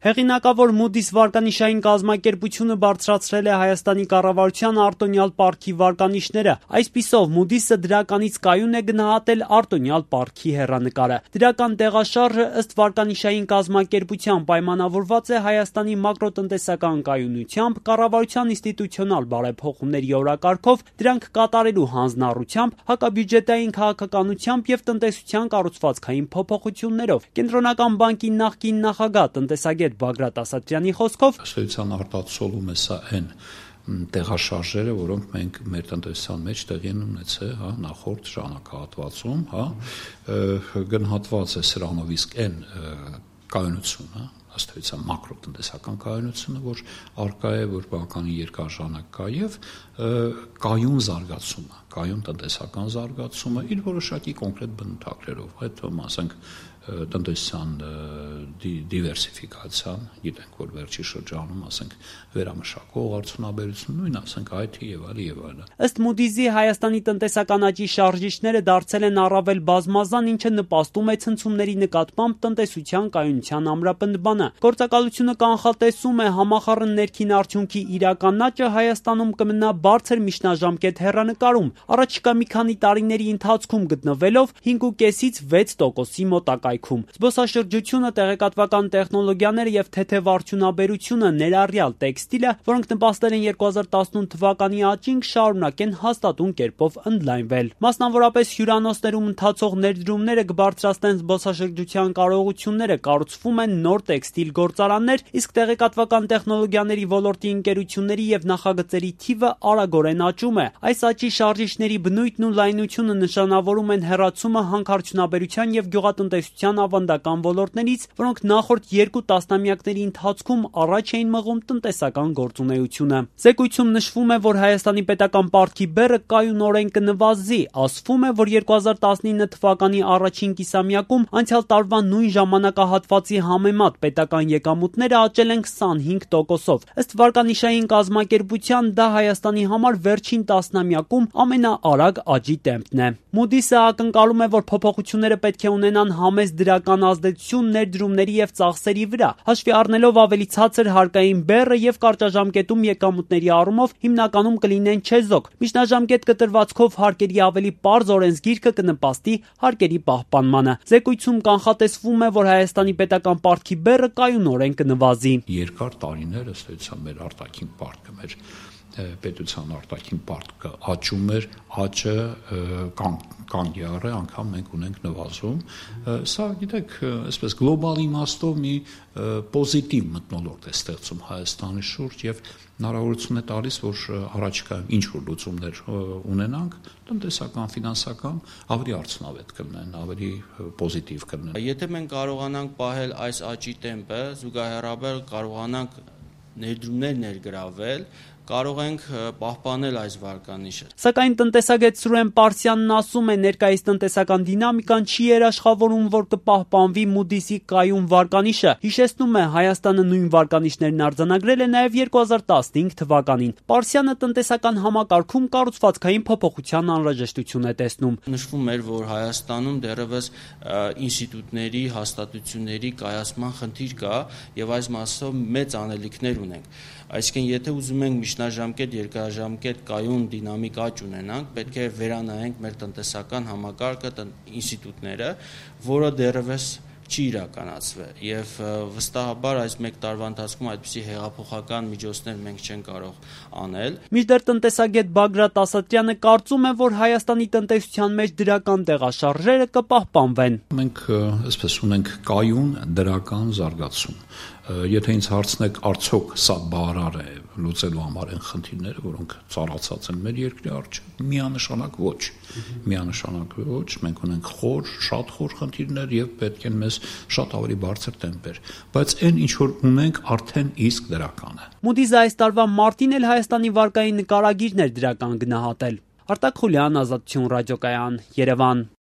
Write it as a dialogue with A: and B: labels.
A: Հեղինակավոր Moody's վարկանիշային կազմակերպությունը բարձրացրել է Հայաստանի կառավարության արտոնյալ պարտքի վարկանիշները։ Այսպիսով, Moody's-ը դրականից կայուն է գնահատել արտոնյալ պարտքի հեռանկարը։ Դրական տեղաշարժը ըստ վարկանիշային կազմակերպության պայմանավորված է Հայաստանի մակրոտնտեսական կայունությամբ, կառավարության ինստիտուցիոնալ բարեփոխումների օրակարգով, դրանք կատարելու հանձնառությամբ, հակաբյուջետային քաղաքականությամբ եւ տնտեսության կառուցվածքային փոփոխություններով։ Կենտրոնական բանկի նախկին նախագահ տնտեսագետ Բագրատ Ասատրյանի խոսքով
B: ըստ արտացոլում է սա այն տեղաշարժերը, որոնք մենք մեր տնտեսության մեջ տեղի են ունեցել, նախորդ ժամանակահատվածում, գնահատված է սրանով, իսկ այն կայունությունը, ըստ էության մակրոտնտեսական կայունությունը, որ արկա է, որ բավականին երկար ժամանակ կա, եւ կայուն զարգացումը, կայուն տնտեսական զարգացումը իր որոշակի կոնկրետ բնութագրերով, այդ ասենք տնտեսության դիվերսիֆիկացիան, գիտենք, որ վերջի շրջանում, ասենք, վերամշակող արդյունաբերություն, նույն, ասենք, IT եւ այլն։
A: Ըստ Moody's-ի Հայաստանի տնտեսական աճի շարժիչները դարձել են առավել բազմազան, ինչը նպաստում է ցնցումների նկատմամբ տնտեսության կայունության ամրապնդմանը։ Գործակալությունը կանխատեսում է համախառն ներքին արդյունքի իրական աճը Հայաստանում կմնա բարձր միջնաժամկետ հեռանկարում, առաջիկա մի քանի տարիների ընթացքում գտնվելով 5.5-ից 6%-ի մոտակայքում։ Զբոսաշրջությունը, տեղեկատվական տեխնոլոգիաները եւ թեթև արդյունաբերությունը, ներառյալ տեքստիլը, որոնք նպաստել են 2018 թվականի աճին, շարունակեն հաստատուն կերպով ընդլայնվել։ Մասնավորապես հյուրանոցներում ընթացող ներդրումները կբարձրացնեն զբոսաշրջության կարողությունները, կառուցվում են նոր տեքստիլ գործարաններ, իսկ տեղեկատվական տեխնոլոգիաների ոլորտի ընկերությունների եւ նախագծերի թիվը արագորեն աճում է։ Այս աճի շարժիչների բնույթն ու լայնությունը նշանավորում են հեռացումը հանքարդյունաբերության եւ գյուղատնտեսության ավանդական ոլորտներից, որոնք նախորդ 2 տասնամյակների ընթացքում առաջ էին մղում տնտեսական գործունեությունը։ Զեկույցում նշվում է, որ Հայաստանի պետական պարտքի բեռը կայունորեն կնվազի, ասվում է, որ 2019 թվականի առաջին կիսամյակում անցյալ տարվա նույն ժամանակահատվածի համեմատ պետական եկամուտները աճել են 25%-ով։ Ըստ վարկանիշային կազմակերպության դա Հայաստանի համար վերջին տասնամյակում ամենաարագ աճի տեմպն է։ Moody's-ը ակնկալում է, որ փոփոխությունները պետք է ունենան համեստ դրական ազդեցություն ներդրումների եւ ծախսերի վրա, հաշվի առնելով ավելի ցածր հարկային բեռը եւ կարճաժամկետում եկամուտների առումով հիմնականում կլինեն չեզոք։ Միջնաժամկետ կտրվածքով հարկերի ավելի պարզ օրենսգիրքը կնպաստի հարկերի պահպանմանը։ Զեկույցում կանխատեսվում է, որ Հայաստանի պետական պարտքի բեռը կայունորեն կնվազի։
B: Երկար տարիներ ըստ էության մեր արտաքին պարտքը, մեր պետության արտաքին պարտքը աճում էր, աճը կանգ եղել, անգամ մենք ունենք նվազում։ Սա, գիտեք, այսպես գլոբալ իմաստով մի պոզիտիվ մթնոլորտ է ստեղծում Հայաստանի շուրջ եւ հնարավորություն է տալիս, որ առաջիկայում ինչ որ լուծումներ ունենանք, տնտեսական, ֆինանսական, ավելի արդյունավետ կլինեն, ավելի պոզիտիվ կլինեն։
C: Եթե մենք կարողանանք պահել այս աճի տեմպը, զուգահեռաբար կարողանանք ներդրումներ ներգրավել, կարող ենք պահպանել այս վարկանիշը։
A: Սակայն տնտեսագետ Սուրեն Պարսյանն ասում է, ներկայիս տնտեսական դինամիկան չի երաշխավորում, որ կպահպանվի Moody's-ի կայուն վարկանիշը։ Հիշեցնում է, Հայաստանը նույն վարկանիշներն արձանագրել է նաև 2015 թվականին։ Պարսյանը տնտեսական համակարգում կառուցվածքային փոփոխության անհրաժեշտություն է տեսնում։
C: Նշվում էր, որ Հայաստանում դեռևս ինստիտուտների, հաստատությունների կայացման խնդիր կա եւ այս մասով մեծ անելիքներ ունենք։ Այսինքն, եթե ուզում ենք միջնաժամկետ, երկարաժամկետ կայուն դինամիկ աճ ունենանք, պետք է վերանայենք մեր տնտեսական համակարգը, ինստիտուտները, որը դեռևս չի իրականացվել եւ վստահաբար այս 1 տարվա ընթացքում այդպիսի հեղափոխական միջոցներ մենք չենք կարող անել։
A: Մինչդեռ տնտեսագետ Բագրատ Ասատրյանը կարծում է, որ Հայաստանի տնտեսության մեջ դրական տեղաշարժերը կպահպանվեն։
B: Մենք այսպես ունենք կայուն դրական զարգացում։ Եթե ինձ հարցնեք, արդյոք սա բավարար է լուծելու համար այն խնդիրները, որոնք ծառացած են մեր երկրի առջև, միանշանակ ոչ։ Միանշանակ ոչ, մենք ունենք շատ խոր խնդիրներ եւ պետք են մեզ շատ ավելի բարձր տեմպեր, բայց այն ինչ որ ունենք արդեն իսկ դրական է։
A: Moody's-ը այս տարվա մարտին էլ Հայաստանի վարկային նկարագիրն էր դրական գնահատել։ Արտակ Խուլյան, Ազատություն ռադիոկայան, Երևան։